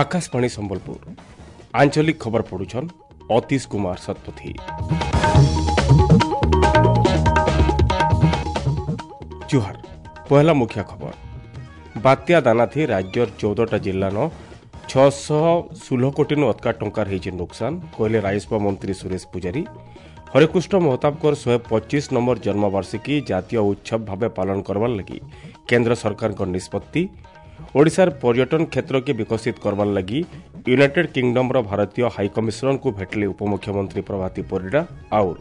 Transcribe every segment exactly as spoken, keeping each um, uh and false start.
Akashvani Sambalpur ଆଞ୍ଚଳିକ ଖବର ପଢୁଛନ୍ ଅତୀଶ କୁମାର ଶତପଥୀ। ଜୁହାର। ପହଲା ମୁଖ୍ୟ ଖବର। ବାତ୍ୟା ଦାନାଥି ରାଜ୍ୟର ଚଉଦଟା ଜିଲ୍ଲାନ ଛଅଶହ ଷୋହଳ କୋଟିନୁ ଅତକା ଟଙ୍କାର ହେଇଛି ନୁକସାନ, କହିଲେ ରାଜସ୍ୱ ମନ୍ତ୍ରୀ ସୁରେଶ ପୂଜାରୀ। ହରେକୃଷ୍ଣ ମହତାବଙ୍କର ଶହେ ପଚିଶ ନମ୍ବର ଜନ୍ମବାର୍ଷିକୀ ଜାତୀୟ ଉତ୍ସବ ଭାବେ ପାଳନ କରବାର ଲାଗି କେନ୍ଦ୍ର ସରକାରଙ୍କ ନିଷ୍ପତ୍ତି। ଓଡ଼ିଶାର ପର୍ଯ୍ୟଟନ କ୍ଷେତ୍ରକେ ବିକଶିତ କରବାର ଲାଗି ୟୁନାଇଟେଡ୍ କିଙ୍ଗଡମ୍ର ଭାରତୀୟ ହାଇକମିଶନରଙ୍କୁ ଭେଟିଲେ ଉପମୁଖ୍ୟମନ୍ତ୍ରୀ ପ୍ରଭାତୀ ପରିଡ଼ା। ଆଉର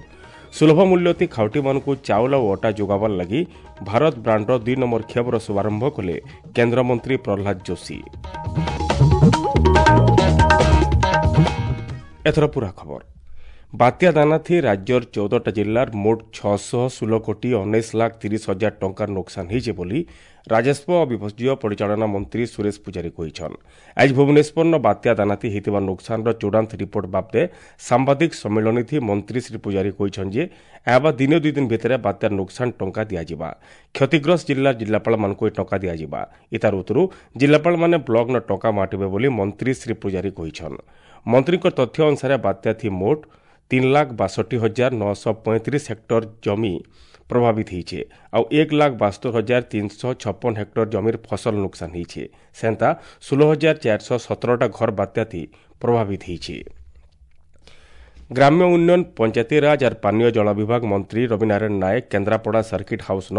ସୁଲଭ ମୂଲ୍ୟତି ଖାଉଟିମାନଙ୍କୁ ଚାଉଳ ଓ ଅଟା ଯୋଗାବାର ଲାଗି ଭାରତ ବ୍ରାଣ୍ଡର ଦୁଇ ନମ୍ବର କ୍ଷେପର ଶୁଭାରମ୍ଭ କଲେ କେନ୍ଦ୍ରମନ୍ତ୍ରୀ ପ୍ରହ୍ଲାଦ ଯୋଶୀ। ଏଥର ପୁରା ଖବର। ବାତ୍ୟା ଦାନାଥି ରାଜ୍ୟର ଚଉଦଟା ଜିଲ୍ଲାର ମୋଟ ଛଅଶହ ଷୋହଳ କୋଟି ଉଣେଇଶ ଲାଖ ତିରିଶ ହଜାର ଟଙ୍କାର ନୋକସାନ ହେଇছে ବୋଲି ରାଜସ୍ୱ ଓ ବିପର୍ଯ୍ୟୟ ପରିଚାଳନା ମନ୍ତ୍ରୀ ସୁରେଶ ପୂଜାରୀ କହିଛନ୍। ଆଜି ଭୁବନେଶ୍ୱରନ ବାତ୍ୟା ଦାନାଥି ହେଇଥିବା ନୋକସାନର ଚୂଡ଼ାନ୍ତ ରିପୋର୍ଟ ବାବଦେ ସାମ୍ବାଦିକ ସମ୍ମିଳନୀଥି ମନ୍ତ୍ରୀ ଶ୍ରୀ ପୂଜାରୀ କହିଛନ୍ ଯେ ଏହା ଦିନେ ଦୁଇ ଦିନ ଭିତରେ ବାତ୍ୟାର ନୋକସାନ ଟଙ୍କା ଦିଆଯିବା। କ୍ଷତିଗ୍ରସ୍ତ ଜିଲ୍ଲା ଜିଲ୍ଲାପାଳମାନଙ୍କୁ ଏ ଟଙ୍କା ଦିଆଯିବା। ଇତାର ଉତ୍ତରୁ ଜିଲ୍ଲାପାଳମାନେ ବ୍ଲକନ ଟଙ୍କା ବାଣ୍ଟିବେ ବୋଲି ମନ୍ତ୍ରୀ ଶ୍ରୀ ପୂଜାରୀ କହିଛନ୍। ମନ୍ତ୍ରୀଙ୍କ ତଥ୍ୟ ଅନୁସାରେ ବାତ୍ୟାଥି ମୋଟ ତିନି ଲାଖ ବାଷଠି ହଜାର ନଅଶହ ପଇଁତିରିଶ ହେକ୍ଟର ଜମି ପ୍ରଭାବିତ ହେଇଛେ, ଆଉ ଏକ ଲାଖ ବାସ୍ତରି ହଜାର ତିନିଶହ ଛପନ ହେକ୍ଟର ଜମିର ଫସଲ ନୁକସାନ ହେଇଛେ। ସେନ୍ତା ଷୋହଳ ହଜାର ଚାରିଶହ ସତରଟା ଘର ବାତ୍ୟାଥି ପ୍ରଭାବିତ ହେଇଛେ। ଗ୍ରାମ୍ୟ ଉନ୍ନୟନ, ପଞ୍ଚାୟତିରାଜ ଆର୍ ପାନୀୟ ଜଳ ବିଭାଗ ମନ୍ତ୍ରୀ ରବିନାରାୟଣ ନାୟକ କେନ୍ଦ୍ରାପଡ଼ା ସର୍କିଟ୍ ହାଉସ୍ନ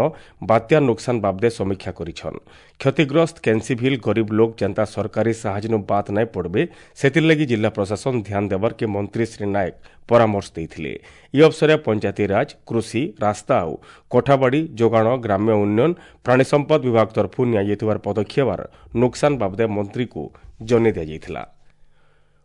ବାତ୍ୟା ନୁକସାନ ବାବଦେ ସମୀକ୍ଷା କରିଛନ୍। କ୍ଷତିଗ୍ରସ୍ତ କେନ୍ସିଭିଲ୍ ଗରିବ ଲୋକ ଯେନ୍ତା ସରକାରୀ ସାହାଯ୍ୟନୁ ବାଦ୍ ନାଇଁ ପଡ଼ବେ ସେଥିର୍ଲାଗି ଜିଲ୍ଲା ପ୍ରଶାସନ ଧ୍ୟାନ ଦେବାର୍କେ ମନ୍ତ୍ରୀ ଶ୍ରୀ ନାୟକ ପରାମର୍ଶ ଦେଇଥିଲେ। ଇ ଅବସରେ ପଞ୍ଚାୟତିରାଜ, କୃଷି, ରାସ୍ତା ଆଉ କୋଠାବାଡ଼ି, ଯୋଗାଣ, ଗ୍ରାମ୍ୟ ଉନ୍ନୟନ, ପ୍ରାଣୀ ସମ୍ପଦ ବିଭାଗ ତରଫରୁ ନିଆଯାଇଥିବାର ପଦକ୍ଷେପର ନୁକସାନ ବାବଦେ ମନ୍ତ୍ରୀଙ୍କୁ ଜଣାଇ ଦିଆଯାଇଥିଲା।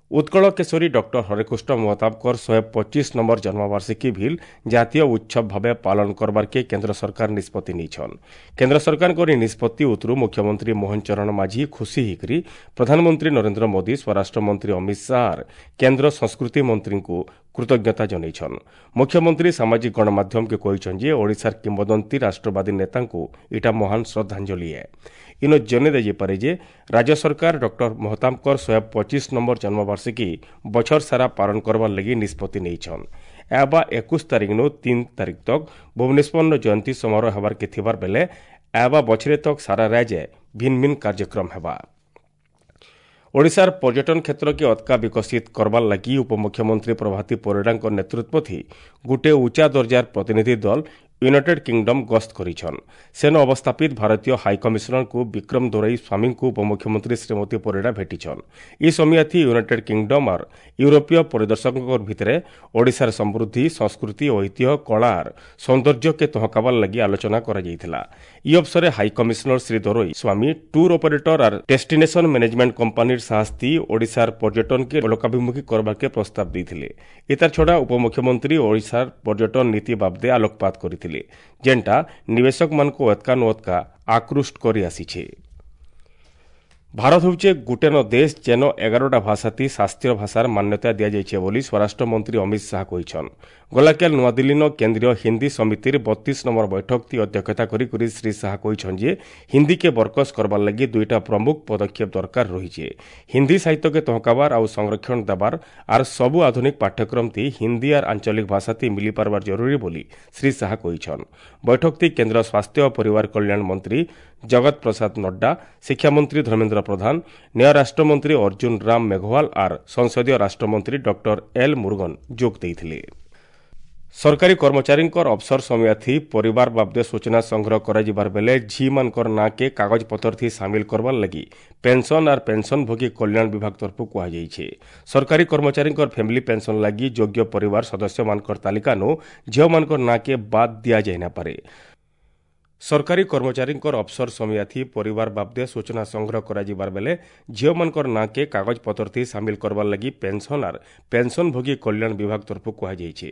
ଉତ୍କଳ କେଶରୀ ଡକ୍ଟର ହରେକୃଷ୍ଣ ମହତାବଙ୍କର ଶହେ ପଚିଶ ନମ୍ବର ଜନ୍ମବାର୍ଷିକୀ ଭିଲ୍ ଜାତୀୟ ଉତ୍ସବ ଭାବେ ପାଳନ କରବାର୍କେ କେନ୍ଦ୍ର ସରକାର ନିଷ୍ପତ୍ତି ନେଇଛନ୍। କେନ୍ଦ୍ର ସରକାରଙ୍କର ଏହି ନିଷ୍ପତ୍ତି ଉତ୍ତରୁ ମୁଖ୍ୟମନ୍ତ୍ରୀ ମୋହନ ଚରଣ ମାଝୀ ଖୁସି ହେଇକରି ପ୍ରଧାନମନ୍ତ୍ରୀ ନରେନ୍ଦ୍ର ମୋଦି, ସ୍ୱରାଷ୍ଟ୍ରମନ୍ତ୍ରୀ ଅମିତ ଶାହା, କେନ୍ଦ୍ର ସଂସ୍କୃତି ମନ୍ତ୍ରୀଙ୍କୁ କୃତଜ୍ଞତା ଜଣାଇଛନ୍। ମୁଖ୍ୟମନ୍ତ୍ରୀ ସାମାଜିକ ଗଣମାଧ୍ୟମକେ କହିଛନ୍ ଯେ ଓଡ଼ିଶାର କିମ୍ବଦନ୍ତୀ ରାଷ୍ଟ୍ରବାଦୀ ନେତାଙ୍କୁ ଇଟା ମହାନ ଶ୍ରଦ୍ଧାଞ୍ଜଳି ଏ। ଇନ ଜଣାଇ ଦିଆଯାଇପାରେ ଯେ ରାଜ୍ୟ ସରକାର ଡକ୍ଟର ମହତାବଙ୍କର ଶହେ ପଚିଶ ନମ୍ବର ଜନ୍ମବାର୍ଷିକୀ ବଛର ସାରା ପାଳନ କରବାର ଲାଗି ନିଷ୍ପତ୍ତି ନେଇଛନ୍। ଏବା ଏକୋଇଶ ତାରିଖନୁ ତିନି ତାରିଖ ତକ୍ ଭୁବନେଶ୍ୱରର ଜୟନ୍ତୀ ସମାରୋହ ହେବାର୍କେ ଥିବାର ବେଲେ ଏବା ବଛରେ ତକ୍ ସାରା ରାଜ୍ୟ ଭିନ୍ନ ଭିନ୍ନ କାର୍ଯ୍ୟକ୍ରମ ହେବା। ଓଡ଼ିଶାର ପର୍ଯ୍ୟଟନ କ୍ଷେତ୍ରକେ ଅତକା ବିକଶିତ କରବାର ଲାଗି ଉପମୁଖ୍ୟମନ୍ତ୍ରୀ ପ୍ରଭାତୀ ପରିଡ଼ାଙ୍କ ନେତୃତ୍ୱଥି ଗୋଟିଏ ଉଚ୍ଚା ଦର୍ଜାର ପ୍ରତିନିଧି ଦଳ ୟୁନାଇଟେଡ୍ କିଙ୍ଗଡମ୍ ଗସ୍ତ କରିଛନ୍। ସେନ ଅବସ୍ଥାପିତ ଭାରତୀୟ ହାଇକମିଶନରଙ୍କୁ ବିକ୍ରମ ଦୋରାଇ ସ୍ୱାମୀଙ୍କୁ ଉପମୁଖ୍ୟମନ୍ତ୍ରୀ ଶ୍ରୀମତୀ ପରିଡ଼ା ଭେଟିଛନ୍। ଇ ସମୟାଥି ୟୁନାଇଟେଡ୍ କିଙ୍ଗଡମ୍ ଆର୍ ୟୁରୋପୀୟ ପରିଦର୍ଶକଙ୍କ ଭିତରେ ଓଡ଼ିଶାର ସମୃଦ୍ଧି, ସଂସ୍କୃତି, ଐତିହ୍ୟ, କଳା ଆର୍ ସୌନ୍ଦର୍ଯ୍ୟକେ ତହକାବାର ଲାଗି ଆଲୋଚନା କରାଯାଇଥିଲା। ଇ ଅବସରେ high commissioner Shri Dorai Swamy tour operator ଆର୍ ଡେଷ୍ଟିନେସନ ମ୍ୟାନେଜମେଣ୍ଟ କମ୍ପାନୀର ସାହସ୍ତି ଓଡ଼ିଶାର ପର୍ଯ୍ୟଟନକେ ଲୋକାଭିମୁଖୀ କରବାକେ ପ୍ରସ୍ତାବ ଦେଇଥିଲେ। ଏତାର ଛଡ଼ା ଉପମୁଖ୍ୟମନ୍ତ୍ରୀ ଓଡ଼ିଶାର ପର୍ଯ୍ୟଟନ ନୀତି ବାବଦେ ଆଲୋକପାତ କରିଥିଲେ, ଯେନ୍ଟା ନିବେଶକମାନଙ୍କୁ ଅତକା ନୁ ଅତକା ଆକୃଷ୍ଟ କରି ଆସିଛେ। ଭାରତ ହେଉଛେ ଗୁଟେନ ଦେଶ ଯେନ ଏଗାରଟା ଭାଷାତି ଶାସ୍ତ୍ରୀୟ ଭାଷାର ମାନ୍ୟତା ଦିଆଯାଇଛେ ବୋଲି ସ୍ୱରାଷ୍ଟ୍ରମନ୍ତ୍ରୀ ଅମିତ ଶାହା କହିଛନ୍। ଗଲାକାଲ ନୂଆଦିଲ୍ଲୀନ କେନ୍ଦ୍ରୀୟ ହିନ୍ଦୀ ସମିତିର ବତିଶ ନମ୍ବର ବୈଠକତି ଅଧ୍ୟକ୍ଷତା କରି କରି ଶ୍ରୀ ଶାହା କହିଛନ୍ ଯେ ହିନ୍ଦୀକେ ବରକସ କରବାର ଲାଗି ଦୁଇଟା ପ୍ରମୁଖ ପଦକ୍ଷେପ ଦରକାର ରହିଛେ। ହିନ୍ଦୀ ସାହିତ୍ୟକେ ତହକାବାର ଆଉ ସଂରକ୍ଷଣ ଦେବାର ଆର୍ ସବୁ ଆଧୁନିକ ପାଠ୍ୟକ୍ରମତି ହିନ୍ଦୀ ଆର୍ ଆଞ୍ଚଳିକ ଭାଷାତି ମିଲିପାରବାର ଜରୁରୀ ବୋଲି ଶ୍ରୀ ଶାହା କହିଛନ୍। ବୈଠକତି କେନ୍ଦ୍ର ସ୍ୱାସ୍ଥ୍ୟ ଓ ପରିବାର କଲ୍ୟାଣ ମନ୍ତ୍ରୀ ଜଗତ ପ୍ରସାଦ ନଡ୍ଡା, ଶିକ୍ଷାମନ୍ତ୍ରୀ ଧର୍ମେନ୍ଦ୍ର ପ୍ରଧାନ, ନ୍ୟାୟ ରାଷ୍ଟ୍ରମନ୍ତ୍ରୀ ଅର୍ଜୁନ ରାମ ମେଘୱାଲ ଆର୍ ସଂସଦୀୟ ରାଷ୍ଟ୍ରମନ୍ତ୍ରୀ ଡକ୍ଟର ଏଲ୍ ମୁରୁଗନ ଯୋଗ ଦେଇଥିଲେ। ସରକାରୀ କର୍ମଚାରୀଙ୍କର ଅବସର ସମୟାଥି ପରିବାର ବାବଦେ ସୂଚନା ସଂଗ୍ରହ କରାଯିବାର ବେଲେ ଝିମାନଙ୍କର ନାଁକେ କାଗଜପତ୍ରଥି ସାମିଲ କରବାର ଲାଗି ପେନ୍ସନ୍ ଆର୍ ପେନ୍ସନ୍ଭୋଗୀ କଲ୍ୟାଣ ବିଭାଗ ତରଫରୁ କୁହାଯାଇଛି। ସରକାରୀ କର୍ମଚାରୀଙ୍କର ଫ୍ୟାମିଲି ପେନ୍ସନ୍ ଲାଗି ଯୋଗ୍ୟ ପରିବାର ସଦସ୍ୟମାନଙ୍କର ତାଲିକାନୁ ଝିଅମାନଙ୍କର ନାଁକେ ବାଦ୍ ଦିଆଯାଇ ନାପାରେ। ସରକାରୀ କର୍ମଚାରୀଙ୍କର ଅବସର ସମୟାଥି ପରିବାର ବାବଦେ ସୂଚନା ସଂଗ୍ରହ କରାଯିବାର ବେଲେ ଝିଅମାନଙ୍କର ନାଁକେ କାଗଜପତ୍ରଥି ସାମିଲ କରବାର ଲାଗି ପେନ୍ସନ୍ ଆର୍ ପେନ୍ସନ୍ଭୋଗୀ କଲ୍ୟାଣ ବିଭାଗ ତରଫରୁ କୁହାଯାଇଛି।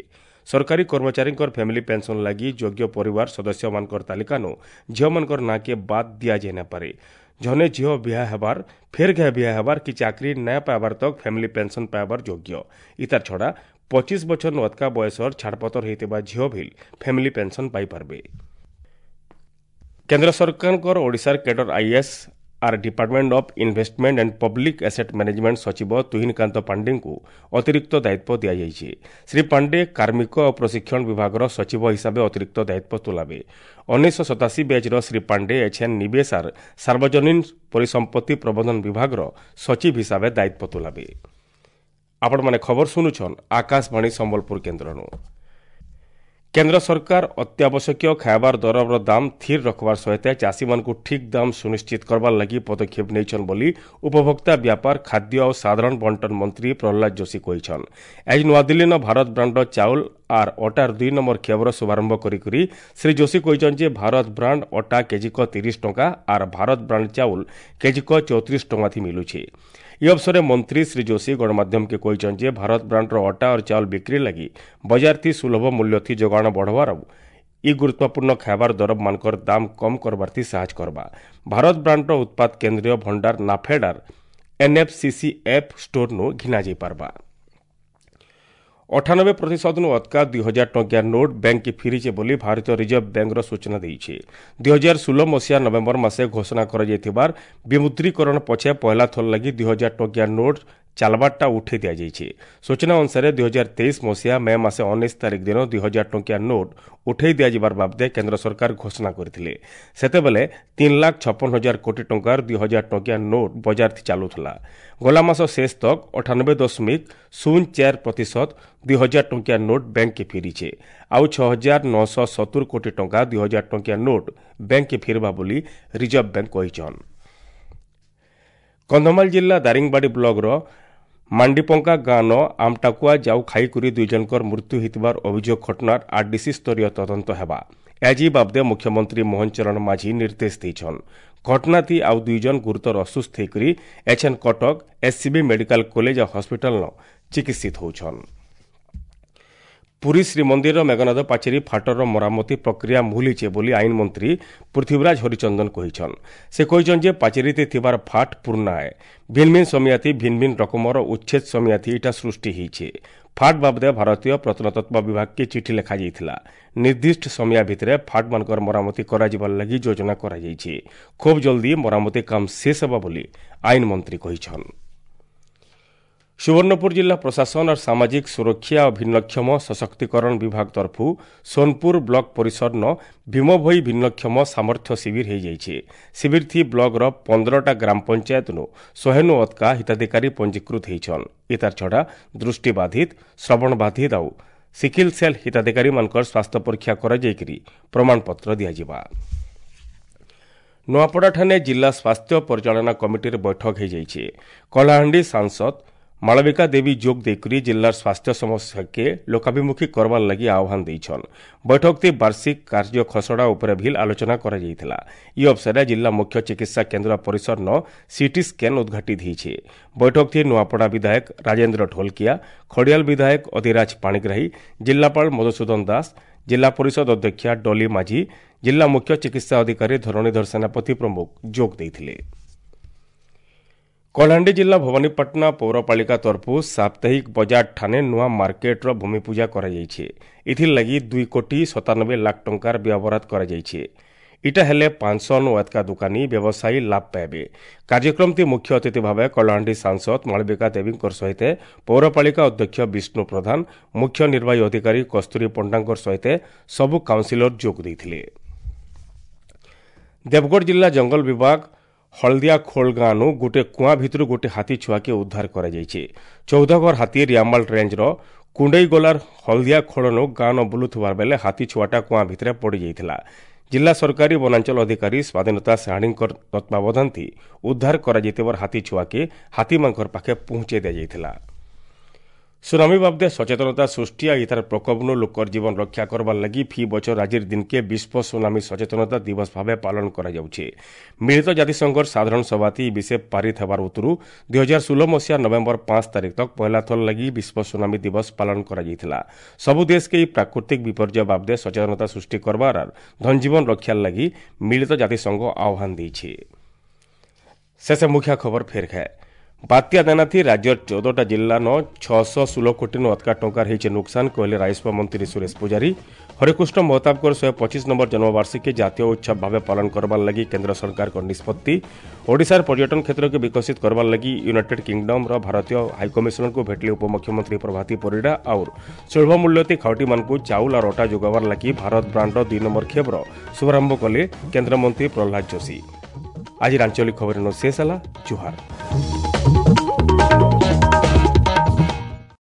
ସରକାରୀ କର୍ମଚାରୀଙ୍କର ଫ୍ୟାମିଲି ପେନ୍ସନ୍ ଲାଗି ଯୋଗ୍ୟ ପରିବାର ସଦସ୍ୟମାନଙ୍କର ତାଲିକାନୁ ଝିଅମାନଙ୍କର ନାଁକେ ବାଦ୍ ଦିଆଯାଇ ନାପାରେ। ଜନେ ଝିଅ ବିହା ହେବାର, ଫେର୍ ଘେ ବିହା ହେବାର କି ଚାକିରି ନାଇଁ ପାଇବାର ତକ୍ ଫ୍ୟାମିଲି ପେନ୍ସନ୍ ପାଇବାର ଯୋଗ୍ୟ। ଇତାର ଛଡ଼ା ପଚିଶ ବଛର ଅତକା ବୟସର ଛାଡ଼ପତର ହେଇଥିବା ଝିଅ ଭିଲ୍ ଫ୍ୟାମିଲି ପେନ୍ସନ୍ ପାଇପାରବେ। କେନ୍ଦ୍ର ସରକାରଙ୍କର ଓଡ଼ିଶାର cadre IAS R department of investment and public asset management ସଚିବ ତୁହିନକାନ୍ତ ପାଣ୍ଡେଙ୍କୁ ଅତିରିକ୍ତ ଦାୟିତ୍ୱ ଦିଆଯାଇଛି। ଶ୍ରୀ ପାଣ୍ଡେ କାର୍ମିକ ଓ ପ୍ରଶିକ୍ଷଣ ବିଭାଗର ସଚିବ ହିସାବେ ଅତିରିକ୍ତ ଦାୟିତ୍ୱ ତୁଲାବେ। ଉଣେଇଶହ ସତାଅଶୀ ବ୍ୟାଚ୍ର ଶ୍ରୀ ପାଣ୍ଡେ ଏଚ୍ଏନ୍ ନିବେଶାର ସାର୍ବଜନୀନ ପରିସମ୍ପତ୍ତି ପ୍ରବନ୍ଧନ ବିଭାଗର ସଚିବ ହିସାବେ ଦାୟିତ୍ୱ ତୁଲାବେ। ଆପଣମାନେ ଖବର ଶୁଣୁଛନ୍ ଆକାଶବାଣୀ ସମ୍ବଲପୁର କେନ୍ଦ୍ରନୁ। କେନ୍ଦ୍ର ସରକାର ଅତ୍ୟାବଶ୍ୟକୀୟ ଖାଇବାର ଦରର ଦାମ ଥିର ରଖବାର ସହିତ ଚାଷୀମାନଙ୍କୁ ଠିକ୍ ଦାମ ସୁନିଶ୍ଚିତ କରବାର ଲାଗି ପଦକ୍ଷେପ ନେଇଛନ୍ ବୋଲି ଉପଭୋକ୍ତା ବ୍ୟାପାର, ଖାଦ୍ୟ ଓ ସାଧାରଣ ବଣ୍ଟନ ମନ୍ତ୍ରୀ ପ୍ରହ୍ଲାଦ ଯୋଶୀ କହିଛନ୍। ଆଜି ନୂଆଦିଲ୍ଲୀନ ଭାରତ ବ୍ରାଣ୍ଡର ଚାଉଳ ଆର୍ ଅଟାର ଦୁଇ ନମ୍ବର ଖେବର ଶୁଭାରମ୍ଭ କରିକରି ଶ୍ରୀ ଯୋଶୀ କହିଛନ୍ ଯେ ଭାରତ ବ୍ରାଣ୍ଡ ଅଟା କେଜିକ ତିରିଶ ଟଙ୍କା ଆର୍ ଭାରତ ବ୍ରାଣ୍ଡ ଚାଉଳ କେଜିକ ଚଉତିରିଶ ଟଙ୍କା ଥି ମିଲୁଛେ। ଇ ଅବସରରେ ମନ୍ତ୍ରୀ ଶ୍ରୀ ଯୋଶୀ ଗଣମାଧ୍ୟମକେ କହିଛନ୍ ଯେ ଭାରତ ବ୍ରାଣ୍ଡର ଅଟା और ଚାଉଳ ବିକ୍ରି ଲାଗି ବଜାର ଥି ସୁଲଭ ମୂଲ୍ୟ ଥି ଯୋଗାଣ ବଢ଼ବାର ଇ ଗୁରୁତ୍ୱପୂର୍ଣ୍ଣ ଖାଇବାର ଦରମାନଙ୍କର ଦାମ କମ୍ କରବାର ଥି ସାହାଯ୍ୟ କରବା। ଭାରତ ବ୍ରାଣ୍ଡର ଉତ୍ପାଦ କେନ୍ଦ୍ରୀୟ ଭଣ୍ଡାର ନାଫେଡାର ଏନ୍ଏଫ୍ସିସି ଏଫ୍ ଷ୍ଟୋରନୁ ଘିନା ଯାଇପାରବା। ଅଠାନବେ ପ୍ରତିଶତନୁ ଅତକା ଦୁଇ ହଜାର ଟଙ୍କିଆ ନୋଟ୍ ବ୍ୟାଙ୍କକେ ଫିରିଛେ ବୋଲି ଭାରତୀୟ ରିଜର୍ଭ ବ୍ୟାଙ୍କର ସୂଚନା ଦେଇছে। ଦୁଇ ହଜାର ଷୋହଳ ମସିହା ନଭେମ୍ବର ମାସେ ଘୋଷଣା କରାଯାଇଥିବାର ବିମୁଦ୍ରୀକରଣ ପଛେ ପହଲା ଥର ଲାଗି ଦୁଇ ହଜାର ଟଙ୍କିଆ ନୋଟ୍ ଚାଲବାରଟା ଉଠେଇ ଦିଆଯାଇଛି। ସୂଚନା ଅନୁସାରେ ଦୁଇ ହଜାର ତେଇଶ ମସିହା ମେ ମାସ ଉଣେଇଶ ତାରିଖ ଦିନ ଦୁଇ ହଜାର ଟଙ୍କିଆ ନୋଟ୍ ଉଠେଇ ଦିଆଯିବାର ବାବଦେ କେନ୍ଦ୍ର ସରକାର ଘୋଷଣା କରିଥିଲେ। ସେତେବେଳେ ତିନି ଲାଖ ଛପନ ହଜାର କୋଟି ଟଙ୍କାର ଦୁଇ ହଜାର ଟଙ୍କିଆ ନୋଟ୍ ବଜାର ଚାଲୁଥିଲା। ଗଲା ମାସ ଶେଷ ତକ ଅଠାନବେ ଦଶମିକ ଶୂନ ଚାରି ପ୍ରତିଶତ ଦୁଇ ହଜାର ଟଙ୍କିଆ ନୋଟ୍ ବ୍ୟାଙ୍କକେ ଫେରିছে। ଆଉ ଛଅ ହଜାର ନଅଶହ ସତୁର କୋଟି ଟଙ୍କା ଦୁଇ ହଜାର ଟଙ୍କିଆ ନୋଟ୍ ବ୍ୟାଙ୍କକେ ଫେରିବା ବୋଲି ରିଜର୍ଭ ବ୍ୟାଙ୍କ କହିଛନ୍। କନ୍ଧମାଳ ଜିଲ୍ଲା ଦାରିଙ୍ଗବାଡ଼ି ବ୍ଲକର ମାଣ୍ଡିପଙ୍କା ଗାଁନ ଆମଟାକୁଆ ଯାଉ ଖାଇକରି ଦୁଇ ଜଣଙ୍କର ମୃତ୍ୟୁ ହୋଇଥିବାର ଅଭିଯୋଗ ଘଟଣାର ଆରଡିସି ସ୍ତରୀୟ ତଦନ୍ତ ହେବା। ଆଜି ବାବଦେ ମୁଖ୍ୟମନ୍ତ୍ରୀ ମୋହନ ଚରଣ ମାଝୀ ନିର୍ଦ୍ଦେଶ ଦେଇଛନ୍। ଘଟଣାତି ଆଉ ଦୁଇ ଜଣ ଗୁରୁତର ଅସୁସ୍ଥ ହୋଇକରି ଏଚ୍ଏନ୍ କଟକ ଏସ୍ସିବି ମେଡିକାଲ କଲେଜ ଓ ହସ୍ପିଟାଲନ ଚିକିତ୍ସିତ ହେଉଛନ୍। ପୁରୀ ଶ୍ରୀମନ୍ଦିରର ମେଘନାଦ ପାଚେରୀ ଫାଟର ମରାମତି ପ୍ରକ୍ରିୟା ମୁହୁଲିଛେ ବୋଲି ଆଇନ ମନ୍ତ୍ରୀ ପୃଥ୍ୱୀରାଜ ହରିଚନ୍ଦନ କହିଛନ୍। ସେ କହିଛନ୍ ଯେ ପାଚେରୀତେ ଥିବାର ଫାଟ ପୁରୁଣା ଏ। ଭିନ୍ ଭିନ୍ ସମିଆତି ଭିନ୍ ଭିନ୍ ରକମର ଉଚ୍ଛେଦ ସମିଆତି ଇଟା ସୃଷ୍ଟି ହେଇଛେ। ଫାଟ ବାବଦେ ଭାରତୀୟ ପ୍ରତ୍ନତତ୍ତ୍ୱ ବିଭାଗକେ ଚିଠି ଲେଖାଯାଇଥିଲା। ନିର୍ଦ୍ଦିଷ୍ଟ ସମୟ ଭିତରେ ଫାଟମାନଙ୍କର ମରାମତି କରାଯିବାର ଲାଗି ଯୋଜନା କରାଯାଇଛି। ଖୁବ୍ ଜଲ୍ଦି ମରାମତି କାମ ଶେଷ ହେବ ବୋଲି ଆଇନ ମନ୍ତ୍ରୀ କହିଛନ୍। ସୁବର୍ଣ୍ଣପୁର ଜିଲ୍ଲା ପ୍ରଶାସନ और ସାମାଜିକ ସୁରକ୍ଷା ଓ ଭିନ୍ନକ୍ଷମ ସଶକ୍ତିକରଣ ବିଭାଗ ତରଫୁ ସୋନପୁର ବ୍ଲକ ପରିସରନ ଭୀମଭୋଇ ଭିନ୍ନକ୍ଷମ ସାମର୍ଥ୍ୟ ଶିବିର ହେଇଯାଇଛି। ଶିବିର ଥି ବ୍ଲକର ପନ୍ଦରଟା ଗ୍ରାମ ପଞ୍ଚାୟତନୁ ଶହେନୁ ଅତକା ହିତାଧିକାରୀ ପଞ୍ଜୀକୃତ ହେଇଛନ୍। ଇତାର ଛଡ଼ା ଦୃଷ୍ଟିବାଧିତ, ଶ୍ରବଣବାଧିତ ଆଉ ସିକିଲ ସେଲ୍ ହିତାଧିକାରୀମାନଙ୍କର ସ୍ୱାସ୍ଥ୍ୟ ପରୀକ୍ଷା କରାଯାଇକରି ପ୍ରମାଣପତ୍ର ଦିଆଯିବା। ନୂଆପଡ଼ାଠାରେ ଜିଲ୍ଲା ସ୍ୱାସ୍ଥ୍ୟ ପରିଚାଳନା କମିଟିର ବୈଠକ ହୋଇଯାଇଛି। କଳାହାଣ୍ଡି ସାଂସଦ ମାଳବିକା ଦେବୀ ଯୋଗ ଦେଇକରି ଜିଲ୍ଲାର ସ୍ୱାସ୍ଥ୍ୟ ସମସ୍ୟାକେ ଲୋକାଭିମୁଖୀ କରବାର ଲାଗି ଆହ୍ୱାନ ଦେଇଛନ୍। ବୈଠକଟି ବାର୍ଷିକ କାର୍ଯ୍ୟ ଖସଡ଼ା ଉପରେ ଭିଲ୍ ଆଲୋଚନା କରାଯାଇଥିଲା। ଇ ଅବସରରେ ଜିଲ୍ଲା ମୁଖ୍ୟ ଚିକିତ୍ସା କେନ୍ଦ୍ର ପରିସରନ ସିଟି ସ୍କାନ୍ ଉଦ୍ଘାଟିତ ହୋଇଛି। ବୈଠକଟି ନୂଆପଡ଼ା ବିଧାୟକ ରାଜେନ୍ଦ୍ର ଢୋଲକିଆ, ଖଡ଼ିଆଲ ବିଧାୟକ ଅଧିରାଜ ପାଣିଗ୍ରାହୀ, ଜିଲ୍ଲାପାଳ ମଧୁସୂଦନ ଦାସ, ଜିଲ୍ଲା ପରିଷଦ ଅଧ୍ୟକ୍ଷା ଡଲି ମାଝୀ, ଜିଲ୍ଲା ମୁଖ୍ୟ ଚିକିତ୍ସା ଅଧିକାରୀ ଧରଣୀଧର ସେନାପତି ପ୍ରମୁଖ ଯୋଗ ଦେଇଥିଲେ। କଳାହାଣ୍ଡି ଜିଲ୍ଲା ଭବାନୀପାଟଣା ପୌରପାଳିକା ତରଫରୁ ସାପ୍ତାହିକ ବଜାର ଠାନେ ନୂଆ ମାର୍କେଟର ଭୂମିପୂଜା କରାଯାଇଛି। ଏଥିର୍ଲାଗି ଦୁଇ କୋଟି ସତାନବେ ଲାଖ ଟଙ୍କାର ବ୍ୟୟବରାଦ କରାଯାଇଛି। ଇଟା ହେଲେ ପାଞ୍ଚଶହ ନୁ ଏତକା ଦୋକାନୀ ବ୍ୟବସାୟୀ ଲାଭ ପାଇବେ। କାର୍ଯ୍ୟକ୍ରମଟି ମୁଖ୍ୟ ଅତିଥି ଭାବେ କଳାହାଣ୍ଡି ସାଂସଦ ମାଳବିକା ଦେବୀଙ୍କ ସହିତ ପୌରପାଳିକା ଅଧ୍ୟକ୍ଷ ବିଷ୍ଣୁ ପ୍ରଧାନ, ମୁଖ୍ୟ ନିର୍ବାହୀ ଅଧିକାରୀ କସ୍ତୁରୀ ପଣ୍ଡାଙ୍କ ସହିତ ସବୁ କାଉନସିଲର ଯୋଗ ଦେଇଥିଲେ। ଦେବଗଡ଼ ଜିଲ୍ଲା ଜଙ୍ଗଲ ବିଭାଗ ହଳଦିଆ ଖୋଳ ଗାଁନୁ ଗୋଟେ କୁଆଁ ଭିତରୁ ଗୋଟେ ହାତୀ ଛୁଆକେ ଉଦ୍ଧାର କରାଯାଇଛି। ଚଉଦଗଡ଼ ହାତୀ ରିଆମାଲ ରେଞ୍ଜର କୁଣ୍ଡେଇଗୋଲାର ହଳଦିଆ ଖୋଳନୁ ଗାଁ ନ ବୁଲୁଥିବା ବେଲେ ହାତୀ ଛୁଆଟା କୁଆଁ ଭିତରେ ପଡ଼ିଯାଇଥିଲା। ଜିଲ୍ଲା ସରକାରୀ ବନାଞ୍ଚଳ ଅଧିକାରୀ ସ୍ୱାଧୀନତା ସାହାଣୀଙ୍କ ତତ୍ତ୍ୱାବଧାନଥି ଉଦ୍ଧାର କରାଯାଇଥିବାର ହାତୀ ଛୁଆକେ ହାତୀମାନଙ୍କର ପାଖେ ପହଞ୍ଚାଇ ଦିଆଯାଇଥିଲା। ସୁନାମି ବାବଦେ ସଚେତନତା ସୃଷ୍ଟି ଆଉ ଇତାର ପ୍ରକୋପନୁ ଲୋକର ଜୀବନ ରକ୍ଷା କରବାର ଲାଗି ଫି ବଛର ଆଜିର ଦିନକେ ବିଶ୍ୱ ସୁନାମି ସଚେତନତା ଦିବସ ଭାବେ ପାଳନ କରାଯାଉଛି। ମିଳିତ ଜାତିସଂଘର ସାଧାରଣ ସଭାତି ଇ ବିଷୟ ପାରିତ ହେବାର ଉତ୍ତରୁ ଦୁଇ ହଜାର ଷୋହଳ ମସିହା ନଭେମ୍ବର ପାଞ୍ଚ ତାରିଖ ତକ ପହଲା ଥର ଲାଗି ବିଶ୍ୱ ସୁନାମି ଦିବସ ପାଳନ କରାଯାଇଥିଲା। ସବୁ ଦେଶକେ ଏହି ପ୍ରାକୃତିକ ବିପର୍ଯ୍ୟୟ ବାବଦେ ସଚେତନତା ସୃଷ୍ଟି କରବାର ଆର୍ ଧନଜୀବନ ରକ୍ଷାର ଲାଗି ମିଳିତ ଜାତିସଂଘ ଆହ୍ୱାନ ଦେଇଛି। ଶେଷ ମୁଖ୍ୟ ଖବର ଫେର ଖାଏ। ବାତ୍ୟା ଦାନାଥି ରାଜ୍ୟର ଚଉଦଟା ଜିଲ୍ଲାନ ଛଅଶହ ଷୋହଳ କୋଟିନୁ ଅଧିକା ଟଙ୍କାର ହେଇଛେ ନୁକସାନ କହିଲେ ରାଜସ୍ୱ ମନ୍ତ୍ରୀ ସୁରେଶ ପୂଜାରୀ। ହରେକୃଷ୍ଣ ମହତାବଙ୍କର ଶହେ ପଚିଶ ନମ୍ବର ଜନ୍ମବାର୍ଷିକୀ ଜାତୀୟ ଉତ୍ସବ ଭାବେ ପାଳନ କରବାର ଲାଗି କେନ୍ଦ୍ର ସରକାରଙ୍କ ନିଷ୍ପତ୍ତି। ଓଡ଼ିଶାର ପର୍ଯ୍ୟଟନ କ୍ଷେତ୍ରକୁ ବିକଶିତ କରବାର ଲାଗି ୟୁନାଇଟେଡ୍ କିଙ୍ଗଡମ୍ର ଭାରତୀୟ ହାଇକମିଶନରଙ୍କୁ ଭେଟିଲେ ଉପମୁଖ୍ୟମନ୍ତ୍ରୀ ପ୍ରଭାତୀ ପରିଡ଼ା। ଆଉ ସୁଲଭ ମୂଲ୍ୟତି ଖାଉଟିମାନଙ୍କୁ ଚାଉଳ ଆଉ ଅଟା ଯୋଗାବାର ଲାଗି ଭାରତ ବ୍ରାଣ୍ଡର ଦୁଇ ନମ୍ବର ଖେପ୍ର ଶୁଭାରମ୍ଭ କଲେ କେନ୍ଦ୍ରମନ୍ତ୍ରୀ ପ୍ରହ୍ଲାଦ ଯୋଶୀ। ଆଜିର ଆଞ୍ଚଳିକ ଖବର ଶେଷ ହେଲା। ଜୁହାର।